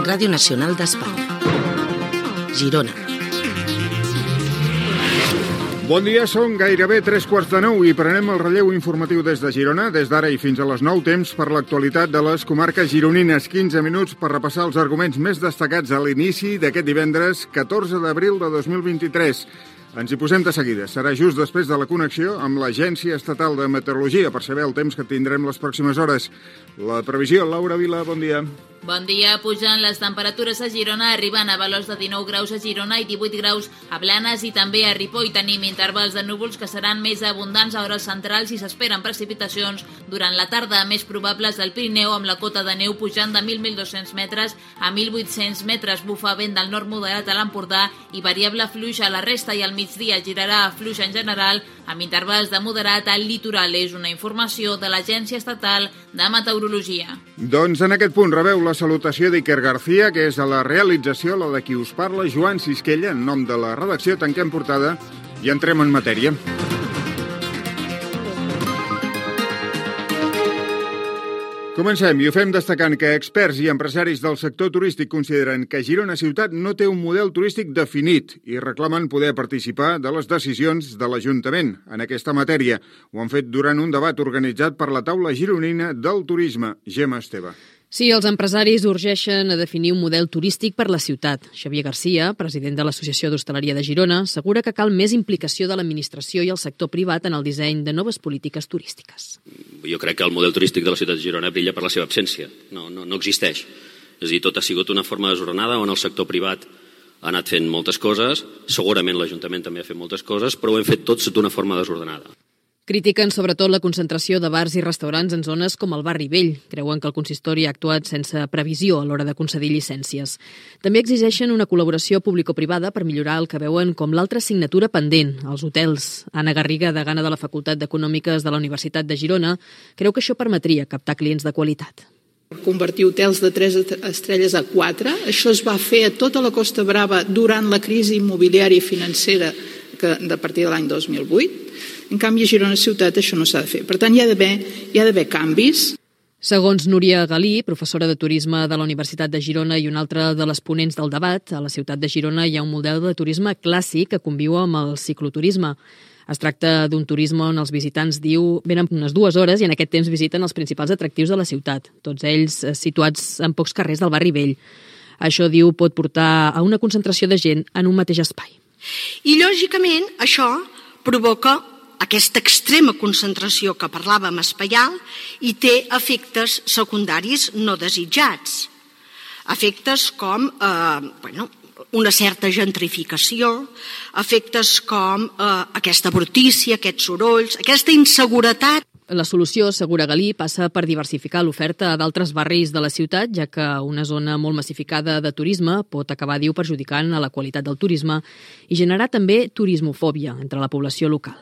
Ràdio Nacional d'Espanya. Girona. Bon dia, són gairebé 8:45 i prenem el relleu informatiu des de Girona. Des d'ara i fins a les 9, temps per l'actualitat de les comarques gironines. 15 minuts per repassar els arguments més destacats a l'inici d'aquest divendres 14 d'abril de 2023. Ens hi posem de seguida. Serà just després de la connexió amb l'Agència Estatal de Meteorologia per saber el temps que tindrem les pròximes hores. La previsió, Laura Vila, bon dia. Bon dia. Pugen les temperatures a Girona, arribant a valors de 19 graus a Girona i 18 graus a Blanes i també a Ripoll. Tenim intervals de núvols que seran més abundants a hores centrals i s'esperen precipitacions durant la tarda, més probables del Pirineu, amb la cota de neu pujant de 1.200 metres a 1.800 metres. Bufa vent del nord moderat a l'Empordà i variable fluixa a la resta, i al migdia girarà fluix en general, amb intervals de moderat al litoral. És una informació de l'Agència Estatal de Meteorologia. Doncs en aquest punt rebeu la salutació d'Iker García, que és a la realització, la de qui us parla, Joan Sisquella. En nom de la redacció tanquem portada i entrem en matèria. Comencem i ho fem destacant que experts i empresaris del sector turístic consideren que Girona ciutat no té un model turístic definit i reclamen poder participar de les decisions de l'Ajuntament en aquesta matèria. Ho han fet durant un debat organitzat per la taula gironina del turisme. Gemma Esteve. Sí, els empresaris urgeixen a definir un model turístic per la ciutat. Xavier García, president de l'Associació d'Hostaleria de Girona, assegura que cal més implicació de l'administració i el sector privat en el disseny de noves polítiques turístiques. Jo crec que el model turístic de la ciutat de Girona brilla per la seva absència. No existeix. És a dir, tot ha sigut una forma desordenada on el sector privat ha anat fent moltes coses, segurament l'Ajuntament també ha fet moltes coses, però ho hem fet tots d'una forma desordenada. Critiquen sobretot la concentració de bars i restaurants en zones com el Barri Vell. Creuen que el consistori ha actuat sense previsió a l'hora de concedir llicències. També exigeixen una col·laboració público-privada per millorar el que veuen com l'altra assignatura pendent, els hotels. Anna Garriga, degana de la Facultat d'Econòmiques de la Universitat de Girona, creu que això permetria captar clients de qualitat. Convertir hotels de 3 estrelles a 4. Això es va fer a tota la Costa Brava durant la crisi immobiliària i financera a partir de l'any 2008. En canvi, a Girona ciutat això no s'ha de fer. Per tant, hi ha d'haver canvis. Segons Núria Galí, professora de turisme de la Universitat de Girona i una altra de les ponents del debat, a la ciutat de Girona hi ha un model de turisme clàssic que conviu amb el cicloturisme. Es tracta d'un turisme on els visitants, diu, venen unes 2 hores i en aquest temps visiten els principals atractius de la ciutat, tots ells situats en pocs carrers del Barri Vell. Això, diu, pot portar a una concentració de gent en un mateix espai. I, lògicament, això provoca aquesta extrema concentració que parlàvem espaial i té efectes secundaris no desitjats. Efectes com una certa gentrificació, efectes com aquesta brutícia, aquests sorolls, aquesta inseguretat. La solució, assegura Galí, passa per diversificar l'oferta a d'altres barris de la ciutat, ja que una zona molt massificada de turisme pot acabar, diu, perjudicant a la qualitat del turisme i generar també turismofòbia entre la població local.